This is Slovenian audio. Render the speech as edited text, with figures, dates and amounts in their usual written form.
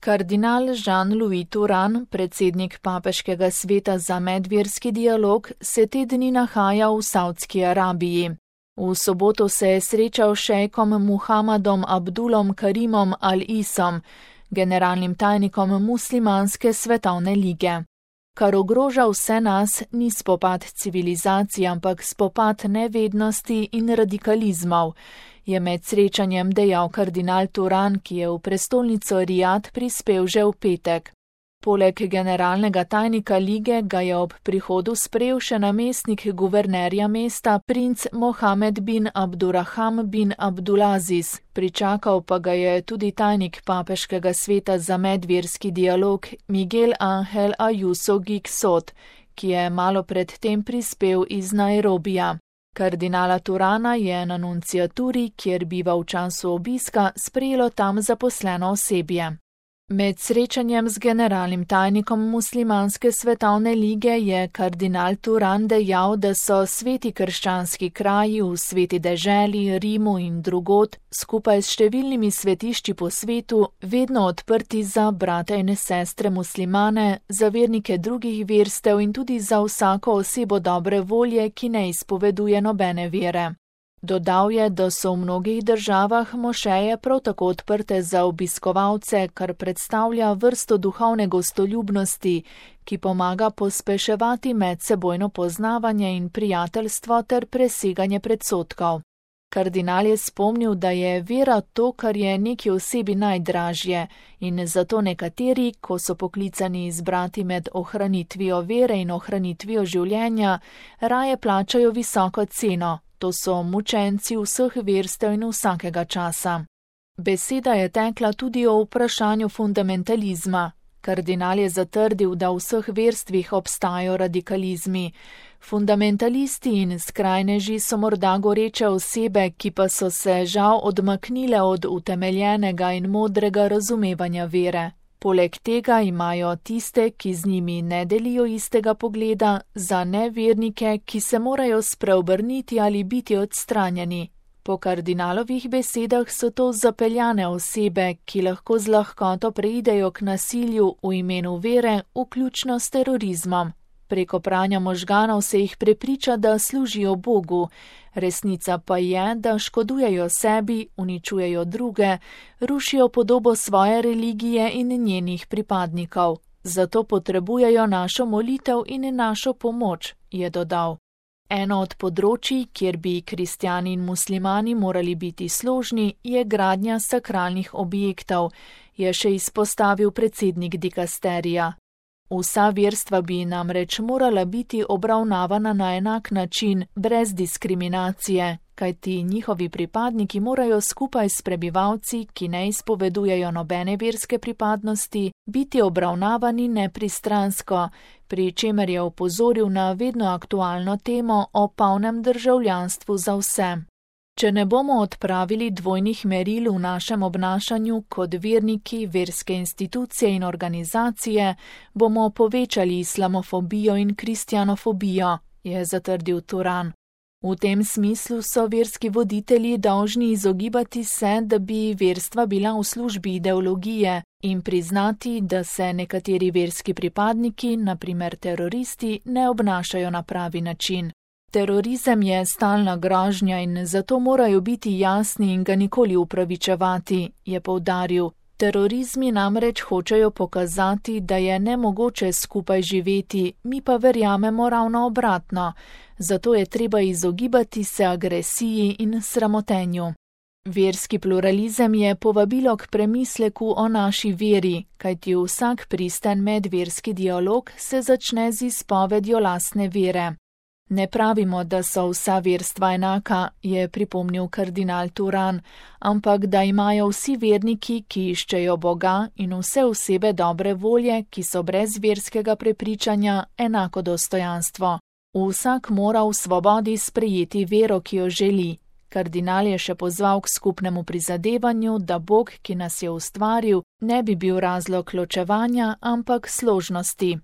Kardinal Jean-Louis Turhan, predsednik Papeškega sveta za medverski dialog, se te dni nahaja v Savdski Arabiji. V soboto se je srečal s šejkom Muhammadom Abdulom Karimom Al-Isom, generalnim tajnikom Muslimanske svetovne lige. Kar ogroža vse nas, ni spopad civilizacij, ampak spopad nevednosti in radikalizmov, je med srečanjem dejal kardinal Turhan, ki je v prestolnico Rijad prispel že v petek. Poleg generalnega tajnika lige ga je ob prihodu sprejel še namestnik guvernerja mesta princ Mohamed bin Abdurrahman bin Abdulaziz, pričakal pa ga je tudi tajnik Papeškega sveta za medverski dialog Miguel Ángel Ayuso Gixot, ki je malo pred tem prispel iz Nairobija. Kardinala Turhana je na nunciaturi, kjer biva v času obiska, sprejelo tam zaposleno osebje. Med srečanjem z generalnim tajnikom Muslimanske svetovne lige je kardinal Turhan dejal, da so sveti krščanski kraji v Sveti deželi, Rimu in drugod, skupaj s številnimi svetišči po svetu, vedno odprti za brate in sestre muslimane, za vernike drugih verstev in tudi za vsako osebo dobre volje, ki ne izpoveduje nobene vere. Dodal je, da so v mnogih državah mošeje prav tako odprte za obiskovalce, kar predstavlja vrsto duhovne gostoljubnosti, ki pomaga pospeševati medsebojno poznavanje in prijateljstvo ter preseganje predsodkov. Kardinal je spomnil, da je vera to, kar je neki osebi najdražje, in zato nekateri, ko so poklicani izbrati med ohranitvijo vere in ohranitvijo življenja, raje plačajo visoko ceno. To so mučenci vseh verstev in vsakega časa. Beseda je tekla tudi o vprašanju fundamentalizma. Kardinal je zatrdil, da v vseh verstvih obstajajo radikalizmi. Fundamentalisti in skrajneži so morda goreče osebe, ki pa so se žal odmaknile od utemeljenega in modrega razumevanja vere. Poleg tega imajo tiste, ki z njimi ne delijo istega pogleda, za nevernike, ki se morajo spreobrniti ali biti odstranjeni. Po kardinalovih besedah so to zapeljane osebe, ki lahko z lahkoto preidejo k nasilju v imenu vere, vključno s terorizmom. Preko pranja možganov se jih prepriča, da služijo Bogu. Resnica pa je, da škodujejo sebi, uničujejo druge, rušijo podobo svoje religije in njenih pripadnikov. Zato potrebujejo našo molitev in našo pomoč, je dodal. Eno od področij, kjer bi kristjani in muslimani morali biti složni, je gradnja sakralnih objektov, je še izpostavil predsednik dikasterija. Vsa verstva bi namreč morala biti obravnavana na enak način, brez diskriminacije, kajti njihovi pripadniki morajo skupaj s prebivalci, ki ne izpovedujejo nobene verske pripadnosti, biti obravnavani nepristransko, pri čemer je opozoril na vedno aktualno temo o polnem državljanstvu za vse. Če ne bomo odpravili dvojnih meril v našem obnašanju kot verniki, verske institucije in organizacije, bomo povečali islamofobijo in kristjanofobijo, je zatrdil Turhan. V tem smislu so verski voditelji dolžni izogibati se, da bi verstva bila v službi ideologije, in priznati, da se nekateri verski pripadniki, na primer teroristi, ne obnašajo na pravi način. Terorizem je stalna grožnja in zato morajo biti jasni in ga nikoli upravičevati, je poudaril. Terorizmi namreč hočejo pokazati, da je nemogoče skupaj živeti, mi pa verjamemo ravno obratno, zato je treba izogibati se agresiji in sramotenju. Verski pluralizem je povabilo k premisleku o naši veri, kajti vsak pristen medverski dialog se začne z izpovedjo lastne vere. Ne pravimo, da so vsa verstva enaka, je pripomnil kardinal Turhan, ampak da imajo vsi verniki, ki iščejo Boga, in vse osebe dobre volje, ki so brez verskega prepričanja, enako dostojanstvo. Vsak mora v svobodi sprejeti vero, ki jo želi. Kardinal je še pozval k skupnemu prizadevanju, da Bog, ki nas je ustvaril, ne bi bil razlog ločevanja, ampak složnosti.